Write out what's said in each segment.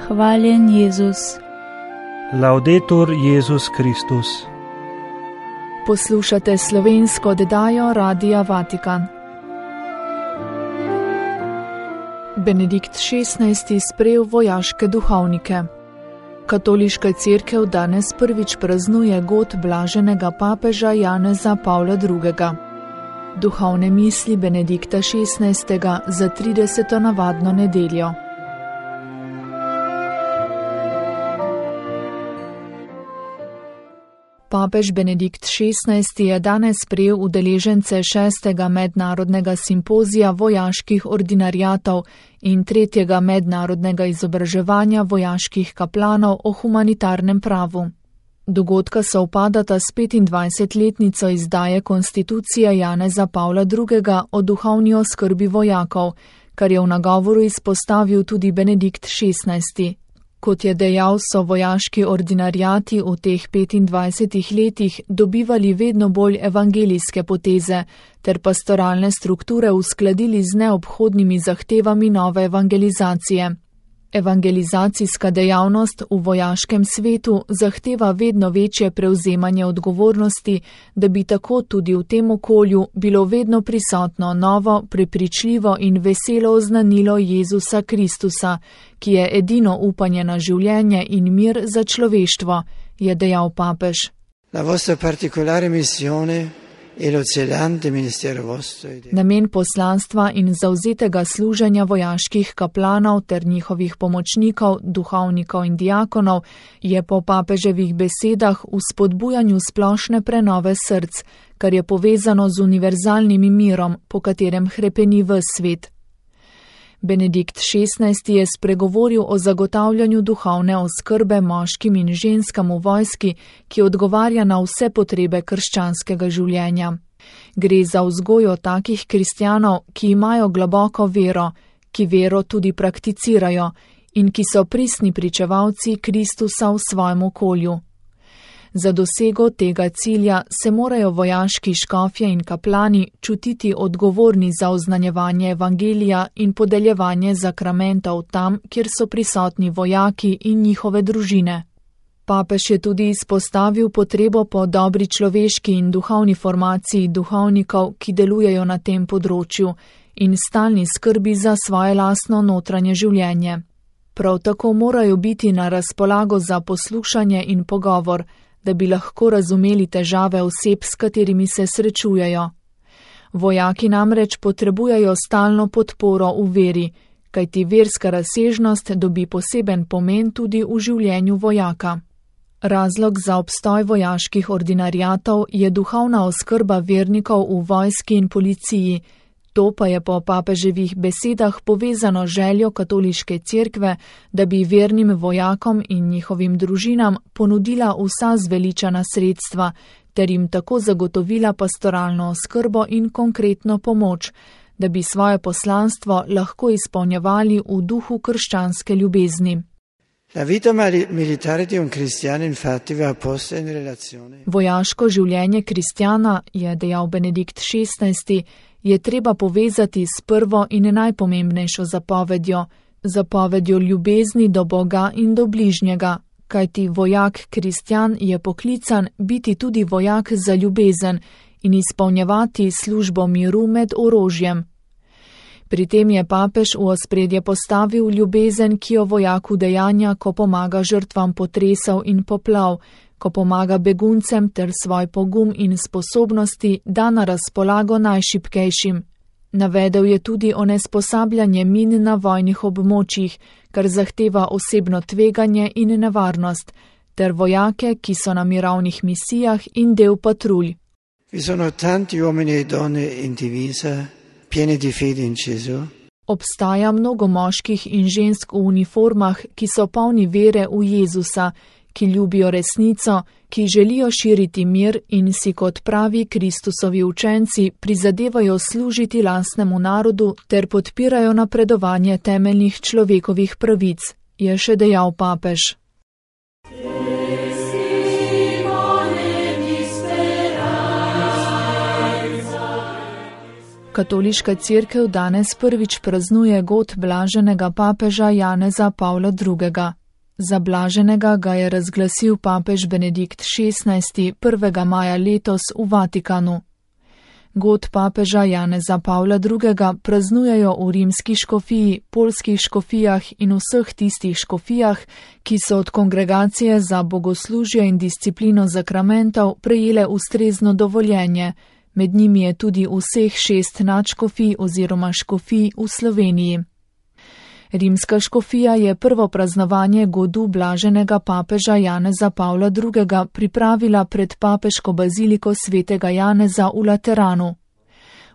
Hvaljen Jezus. Laudetur Jezus Kristus. Poslušate slovensko oddajo Radia Vatikan. Benedikt XVI. Sprejel vojaške duhovnike. Katoliška cerkev danes prvič praznuje god blaženega papeža Janeza Pavla II. Duhovne misli Benedikta XVI. Za 30. navadno nedeljo. Papež Benedikt XVI. Je danes sprejel udeležence 6. mednarodnega simpozija vojaških ordinariatov in 3. mednarodnega izobraževanja vojaških kaplanov o humanitarnem pravu. Dogodka sovpadata s 25-letnico izdaje konstitucije Janeza Pavla II. O duhovni oskrbi vojakov, kar je v nagovoru izpostavil tudi Benedikt XVI. Kot je dejal, so vojaški ordinariati v teh 25 letih dobivali vedno bolj evangelijske poteze ter pastoralne strukture uskladili z neobhodnimi zahtevami nove evangelizacije. Evangelizacijska dejavnost v vojaškem svetu zahteva vedno večje prevzemanje odgovornosti, da bi tako tudi v tem okolju bilo vedno prisotno novo, prepričljivo in veselo oznanilo Jezusa Kristusa, ki je edino upanje na življenje in mir za človeštvo, je dejal papež. La vostra particolare missione e lo zelante ministero vostro. Namen poslanstva in zavzetega služenja vojaških kaplanov ter njihovih pomočnikov, duhovnikov in diakonov je po papeževih besedah v spodbujanju splošne prenove src, kar je povezano z univerzalnim mirom, po katerem hrepeni ves svet. Benedikt XVI. Je spregovoril o zagotavljanju duhovne oskrbe moškim in ženskam v vojski, ki odgovarja na vse potrebe krščanskega življenja. Gre za vzgojo takih kristjanov, ki imajo globoko vero, ki vero tudi prakticirajo in ki so pristni pričevalci Kristusa v svojem okolju. Za dosego tega cilja se morajo vojaški škofje in kaplani čutiti odgovorni za oznanjevanje evangelija in podeljevanje zakramentov tam, kjer so prisotni vojaki in njihove družine. Papež je tudi izpostavil potrebo po dobri človeški in duhovni formaciji duhovnikov, ki delujejo na tem področju, in stalni skrbi za svoje lastno notranje življenje. Prav tako morajo biti na razpolago za poslušanje in pogovor, da bi lahko razumeli težave oseb, s katerimi se srečujejo. Vojaki namreč potrebujejo stalno podporo v veri, kajti verska razsežnost dobi poseben pomen tudi v življenju vojaka. Razlog za obstoj vojaških ordinariatov je duhovna oskrba vernikov v vojski in policiji. To pa je po papeževih besedah povezano željo katoliške cerkve, da bi vernim vojakom in njihovim družinam ponudila vsa zveličana sredstva, ter jim tako zagotovila pastoralno oskrbo in konkretno pomoč, da bi svoje poslanstvo lahko izpolnjevali v duhu krščanske ljubezni. La vita militare di un cristiano infatti va posta in relazione. Vojaško življenje kristjana, je dejal Benedikt XVI., je treba povezati s prvo in najpomembnejšo zapovedjo ljubezni do Boga in do bližnjega, kajti vojak kristjan je poklican biti tudi vojak za ljubezen in izpolnjevati službo miru med orožjem. Pri tem je papež v ospredje postavil ljubezen, ki jo vojak udejanja, ko pomaga žrtvam potresov in poplav, ko pomaga beguncem ter svoj pogum in sposobnosti da na razpolago najšibkejšim. Navedel je tudi onesposabljanje min na vojnih območjih, kar zahteva osebno tveganje in nevarnost, ter vojake, ki so na mirovnih misijah in del patrulj. Vi sono tanti uomini e donne in divisa, pieni di fede in Gesù. Obstaja mnogo moških in žensk v uniformah, ki so polni vere v Jezusa, ki ljubijo resnico, ki želijo širiti mir in si kot pravi Kristusovi učenci prizadevajo služiti lastnemu narodu ter podpirajo napredovanje temeljnih človekovih pravic, je še dejal papež. Katoliška cerkev danes prvič praznuje god blaženega papeža Janeza Pavla II. Za blaženega ga je razglasil papež Benedikt XVI. 1. maja letos v Vatikanu. God papeža Janeza Pavla II. Praznujejo v rimski škofiji, poljskih škofijah in vseh tistih škofijah, ki so od Kongregacije za bogoslužje in disciplino zakramentov prejele ustrezno dovoljenje. Med njimi je tudi vseh 6 nadškofij oziroma škofij v Sloveniji. Rimska škofija je prvo praznovanje godu blaženega papeža Janeza Pavla II. Pripravila pred papeško baziliko svetega Janeza v Lateranu.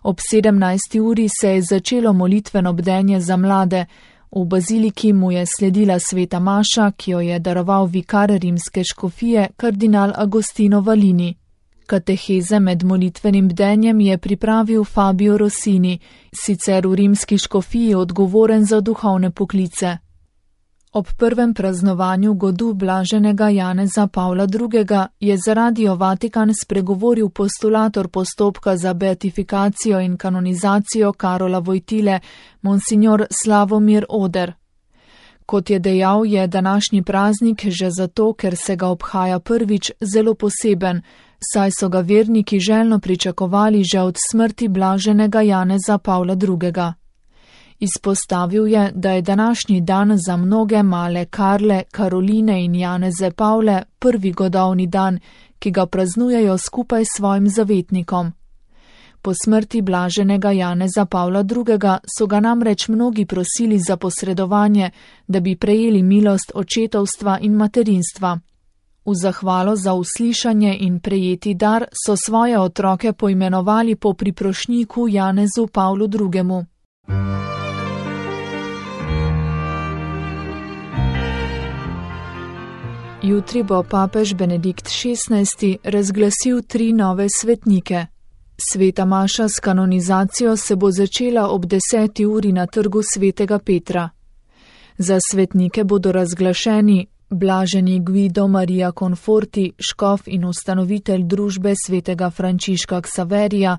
Ob 17. uri se je začelo molitveno bdenje za mlade. V baziliki mu je sledila sveta maša, ki jo je daroval vikar rimske škofije kardinal Agostino Valini. Kateheze med molitvenim bdenjem je pripravil Fabio Rossini, sicer v rimski škofiji odgovoren za duhovne poklice. Ob prvem praznovanju godu blaženega Janeza Pavla II. Je za Radio Vatikan spregovoril postulator postopka za beatifikacijo in kanonizacijo Karola Wojtyle, monsignor Slavomir Oder. Kot je dejal, je današnji praznik že zato, ker se ga obhaja prvič, zelo poseben, saj so ga verniki željno pričakovali že od smrti blaženega Janeza Pavla II. Izpostavil je, da je današnji dan za mnoge male Karle, Karoline in Janeze Pavle prvi godovni dan, ki ga praznujejo skupaj s svojim zavetnikom. Po smrti blaženega Janeza Pavla II. So ga namreč mnogi prosili za posredovanje, da bi prejeli milost očetovstva in materinstva. V zahvalo za uslišanje in prejeti dar so svoje otroke poimenovali po priprošnjiku Janezu Pavlu II. Jutri bo papež Benedikt XVI. Razglasil 3 nove svetnike. Sveta maša s kanonizacijo se bo začela ob 10. uri na trgu svetega Petra. Za svetnike bodo razglašeni blaženi Guido Maria Conforti, škof in ustanovitelj družbe svetega Frančiška Ksaverija,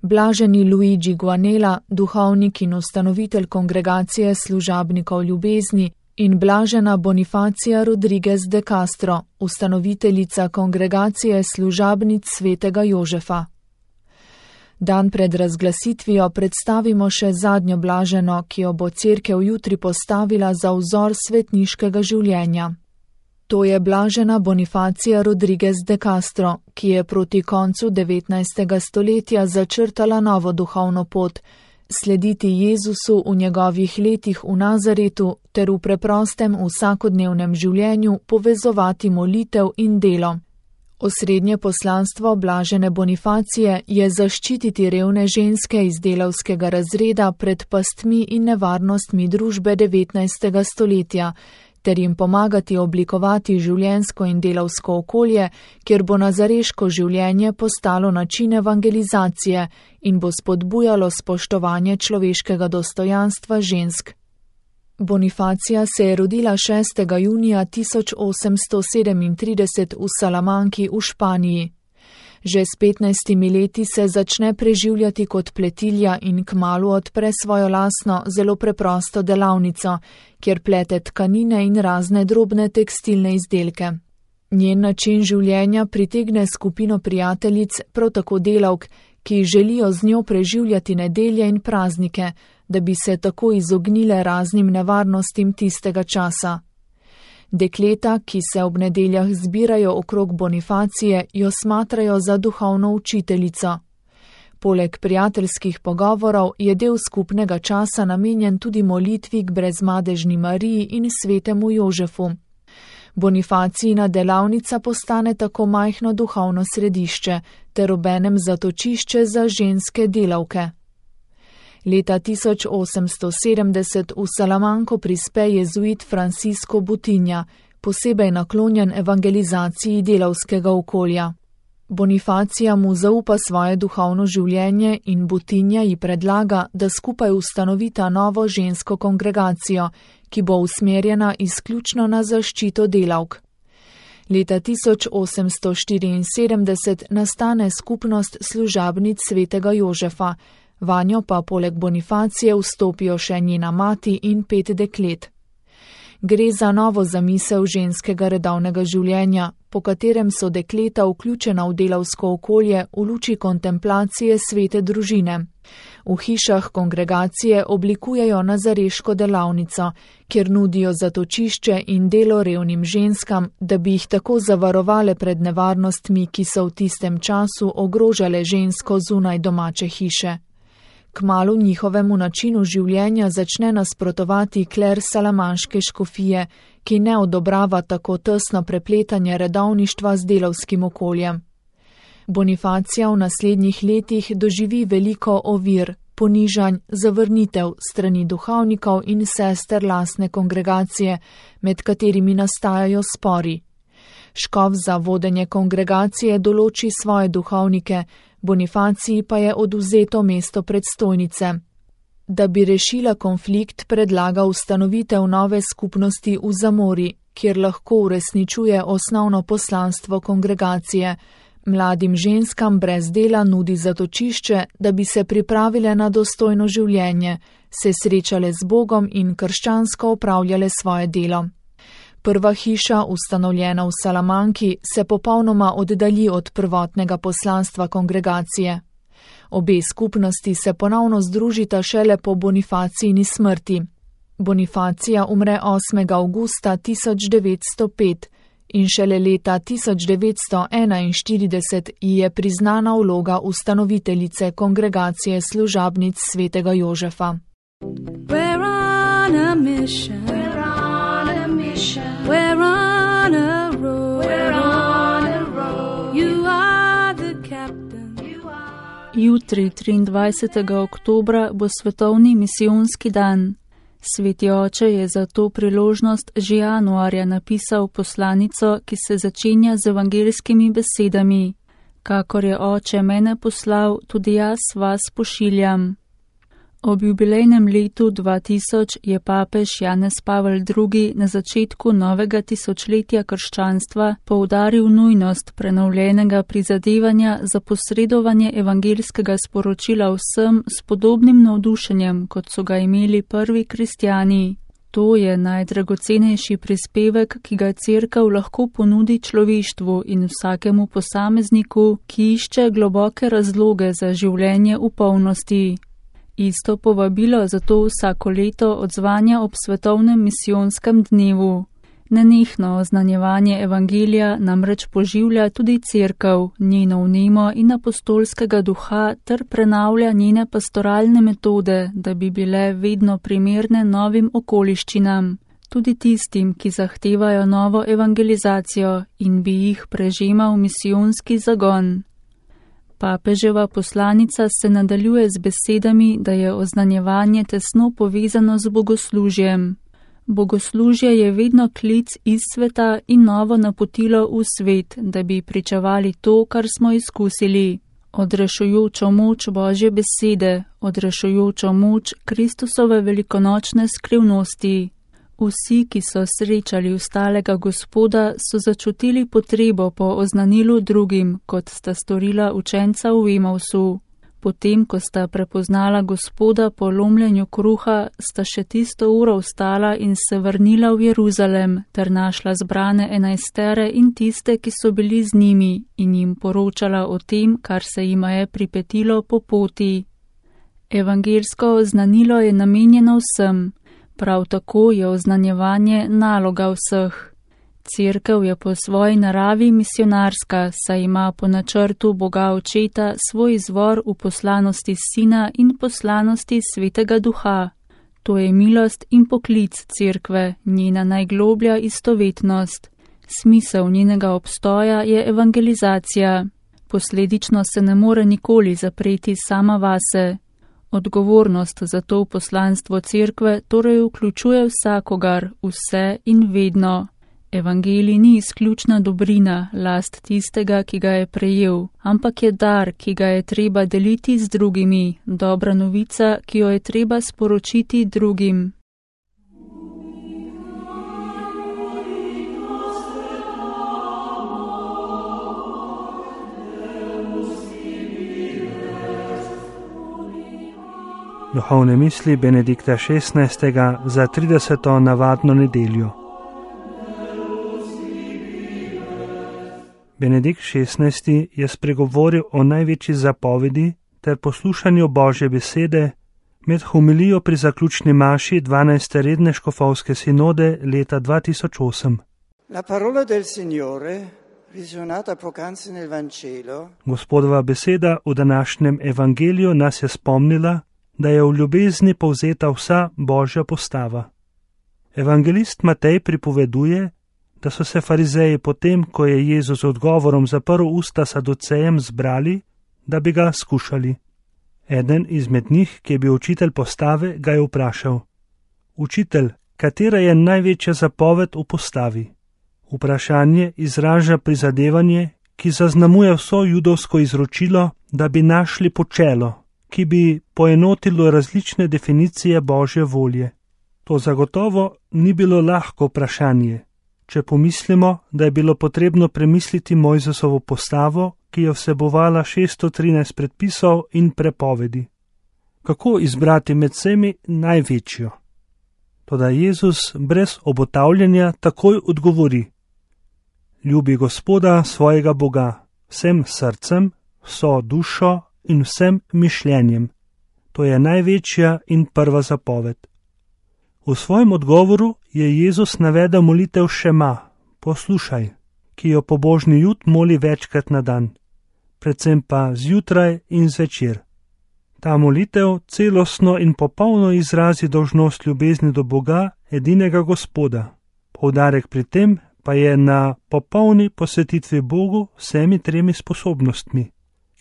blaženi Luigi Guanella, duhovnik in ustanovitelj kongregacije služabnikov ljubezni, in blažena Bonifacija Rodriguez de Castro, ustanoviteljica kongregacije služabnic svetega Jožefa. Dan pred razglasitvijo predstavimo še zadnjo blaženo, ki jo bo cerkev jutri postavila za vzor svetniškega življenja. To je blažena Bonifacija Rodriguez de Castro, ki je proti koncu 19. stoletja začrtala novo duhovno pot, slediti Jezusu v njegovih letih v Nazaretu ter v preprostem vsakodnevnem življenju povezovati molitev in delo. Osrednje poslanstvo blažene Bonifacije je zaščititi revne ženske iz delavskega razreda pred pastmi in nevarnostmi družbe 19. stoletja, ter jim pomagati oblikovati življenjsko in delavsko okolje, kjer bo nazareško življenje postalo način evangelizacije in bo spodbujalo spoštovanje človeškega dostojanstva žensk. Bonifacija se je rodila 6. junija 1837 v Salamanki v Španiji. Že s 15 leti se začne preživljati kot pletilja in kmalu odpre svojo lastno, zelo preprosto delavnico, kjer plete tkanine in razne drobne tekstilne izdelke. Njen način življenja pritegne skupino prijateljic, prav tako delavk, ki želijo z njo preživljati nedelje in praznike, da bi se tako izognile raznim nevarnostim tistega časa. Dekleta, ki se ob nedeljah zbirajo okrog Bonifacije, jo smatrajo za duhovno učiteljico. Poleg prijateljskih pogovorov je del skupnega časa namenjen tudi molitvi k brezmadežni Mariji in svetemu Jožefu. Bonifacijina delavnica postane tako majhno duhovno središče ter obenem zatočišče za ženske delavke. Leta 1870 v Salamanko prispe jezuit Francisco Butinja, posebej naklonjen evangelizaciji delavskega okolja. Bonifacija mu zaupa svoje duhovno življenje in Butinja ji predlaga, da skupaj ustanovita novo žensko kongregacijo, ki bo usmerjena izključno na zaščito delavk. Leta 1874 nastane skupnost služabnic svetega Jožefa, vanjo pa poleg Bonifacije vstopijo še njena mati in 5 deklet. Gre za novo zamisel ženskega redovnega življenja, po katerem so dekleta vključena v delavsko okolje v luči kontemplacije svete družine. V hišah kongregacije oblikujejo nazareško delavnico, kjer nudijo zatočišče in delo revnim ženskam, da bi jih tako zavarovale pred nevarnostmi, ki so v tistem času ogrožale žensko zunaj domače hiše. Kmalu njihovemu načinu življenja začne nasprotovati kler salamanške škofije, ki ne odobrava tako tesno prepletanje redovništva z delavskim okoljem. Bonifacija v naslednjih letih doživi veliko ovir, ponižanj, zavrnitev strani duhovnikov in sester lastne kongregacije, med katerimi nastajajo spori. Škof za vodenje kongregacije določi svoje duhovnike, Bonifaciji pa je odvzeto mesto predstojnice. Da bi rešila konflikt, predlaga ustanovitev nove skupnosti v Zamori, kjer lahko uresničuje osnovno poslanstvo kongregacije. Mladim ženskam brez dela nudi zatočišče, da bi se pripravile na dostojno življenje, se srečale z Bogom in krščansko opravljale svoje delo. Prva hiša, ustanovljena v Salamanki, se popolnoma oddalji od prvotnega poslanstva kongregacije. Obe skupnosti se ponovno združita šele po Bonifacijini smrti. Bonifacija umre 8. avgusta 1905 in šele leta 1941 ji je priznana vloga ustanoviteljice kongregacije služabnic svetega Jožefa. We're on a mission. We're on a mission. We're on a road. We're on a road. You are the captain. Jutri, 23. oktobra, bo svetovni misijonski dan. Sveti oče je za to priložnost že januarja napisal poslanico, ki se začenja z evangeljskimi besedami: Kakor je oče mene poslal, tudi jaz vas pošiljam. Ob jubilejnem letu 2000 je papež Janez Pavel II. Na začetku novega tisočletja krščanstva poudaril nujnost prenovljenega prizadevanja za posredovanje evangeljskega sporočila vsem s podobnim navdušenjem, kot so ga imeli prvi kristjani. To je najdragocenejši prispevek, ki ga Cerkev lahko ponudi človeštvu in vsakemu posamezniku, ki išče globoke razloge za življenje v polnosti. Isto povabilo zato vsako leto odzvanja ob svetovnem misijonskem dnevu. Nenehno oznanjevanje evangelija namreč poživlja tudi Cerkev, njeno vnemo in apostolskega duha ter prenavlja njene pastoralne metode, da bi bile vedno primerne novim okoliščinam, tudi tistim, ki zahtevajo novo evangelizacijo in bi jih prežemal misijonski zagon. Papeževa poslanica se nadaljuje z besedami, da je oznanjevanje tesno povezano z bogoslužjem. Bogoslužje je vedno klic iz sveta in novo napotilo v svet, da bi pričevali to, kar smo izkusili. Odrešujočo moč Božje besede, odrešujočo moč Kristusove velikonočne skrivnosti. Vsi, ki so srečali ustalega Gospoda, so začutili potrebo po oznanilu drugim, kot sta storila učenca v Emausu. Potem, ko sta prepoznala Gospoda po lomljenju kruha, sta še tisto uro vstala in se vrnila v Jeruzalem, ter našla zbrane 11 in tiste, ki so bili z njimi, in jim poročala o tem, kar se jima je pripetilo po poti. Evangelsko oznanilo je namenjeno vsem. Prav tako je oznanjevanje naloga vseh. Cerkev je po svoji naravi misionarska, saj ima po načrtu Boga Očeta svoj izvor v poslanosti Sina in poslanosti Svetega Duha. To je milost in poklic Cerkve, njena najgloblja istovetnost. Smisel njenega obstoja je evangelizacija. Posledično se ne more nikoli zapreti sama vase. Odgovornost za to poslanstvo Cerkve torej vključuje vsakogar, vse in vedno. Evangelij ni izključna dobrina, last tistega, ki ga je prejel, ampak je dar, ki ga je treba deliti z drugimi, dobra novica, ki jo je treba sporočiti drugim. Duhovne misli Benedikta XVI. Za 30. navadno nedeljo. Benedikt XVI. Je spregovoril o največji zapovedi ter poslušanju Božje besede med homilijo pri zaključni maši 12. redne škofovske sinode leta 2008. La parola del Signore, visionata poc'anzi nel Vangelo, Gospodova beseda v današnjem evangeliju nas je spomnila, da je v ljubezni povzeta vsa Božja postava. Evangelist Matej pripoveduje, da so se farizeji potem, ko je Jezus odgovorom zaprl usta saducejem, zbrali, da bi ga skušali. Eden izmed njih, ki je bil učitelj postave, ga je vprašal: Učitelj, katera je največja zapoved v postavi? Vprašanje izraža prizadevanje, ki zaznamuje vso judovsko izročilo, da bi našli počelo, ki bi poenotilo različne definicije Božje volje. To zagotovo ni bilo lahko vprašanje, če pomislimo, da je bilo potrebno premisliti Mojzesovo postavo, ki je vsebovala 613 predpisov in prepovedi. Kako izbrati med vsemi največjo? Toda Jezus brez obotavljanja takoj odgovori: Ljubi Gospoda svojega Boga, vsem srcem, vso dušo in vsem mišljenjem. To je največja in prva zapoved. V svojem odgovoru je Jezus navedel molitev Šema, poslušaj, ki jo pobožni Jud moli večkrat na dan, predvsem pa zjutraj in zvečer. Ta molitev celostno in popolno izrazi dolžnost ljubezni do Boga, edinega Gospoda. Poudarek pri tem pa je na popolni posvetitvi Bogu vsemi tremi sposobnostmi,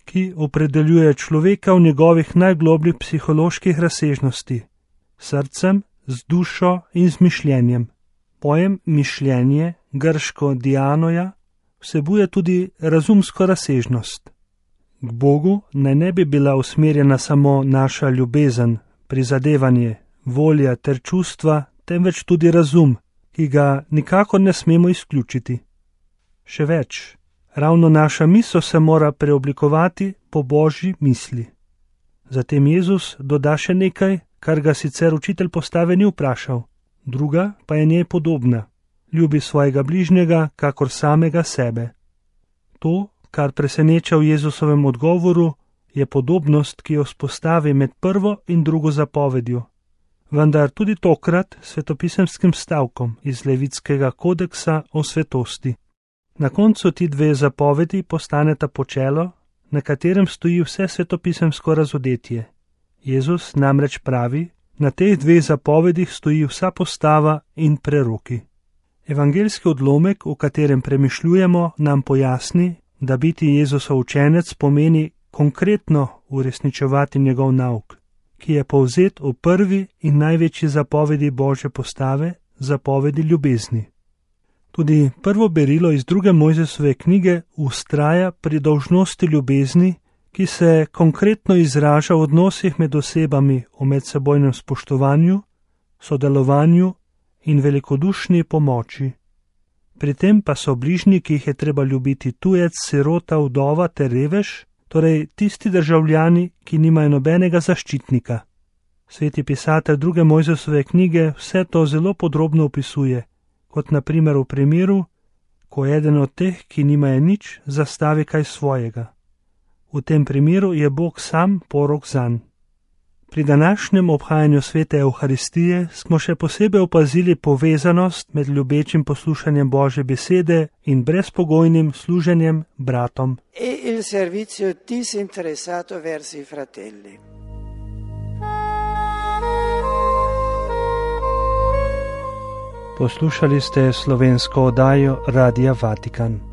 ki opredeljuje človeka v njegovih najglobljih psiholoških razsežnosti, srcem, z dušo in z mišljenjem. Pojem mišljenje, grško dianoja, vsebuje tudi razumsko razsežnost. K Bogu naj ne bi bila usmerjena samo naša ljubezen, prizadevanje, volja ter čustva, temveč tudi razum, ki ga nikakor ne smemo izključiti. Še več, ravno naša misel se mora preoblikovati po Božji misli. Zatem Jezus doda še nekaj, kar ga sicer učitelj postave ni vprašal, druga pa je njej podobna: ljubi svojega bližnjega kakor samega sebe. To, kar preseneča v Jezusovem odgovoru, je podobnost, ki jo vzpostavi med prvo in drugo zapovedjo, vendar tudi tokrat svetopisemskim stavkom iz Levitskega kodeksa o svetosti. Na koncu ti dve zapovedi postaneta počelo, na katerem stoji vse svetopisemsko razodetje. Jezus namreč pravi, na teh dveh zapovedih stoji vsa postava in preroki. Evangeljski odlomek, v katerem premišljujemo, nam pojasni, da biti Jezusov učenec pomeni konkretno uresničevati njegov nauk, ki je povzet v prvi in največji zapovedi Božje postave, zapovedi ljubezni. Tudi prvo berilo iz 2. Mojzesove knjige vztraja pri dolžnosti ljubezni, ki se konkretno izraža v odnosih med osebami v medsebojnem spoštovanju, sodelovanju in velikodušni pomoči. Pri tem pa so bližnji, ki jih je treba ljubiti, tujec, sirota, vdova ter revež, torej tisti državljani, ki nimajo nobenega zaščitnika. Sveti pisatelj 2. Mojzesove knjige vse to zelo podrobno opisuje, kot na primer v primeru, ko eden od teh, ki nimajo nič, zastavi kaj svojega. V tem primeru je Bog sam porok zanj. Pri današnjem obhajanju svete Evharistije smo še posebej opazili povezanost med ljubečim poslušanjem Božje besede in brezpogojnim služenjem bratom. e il servizio disinteressato verso i fratelli. Poslušali ste slovensko oddajo Radia Vatikan.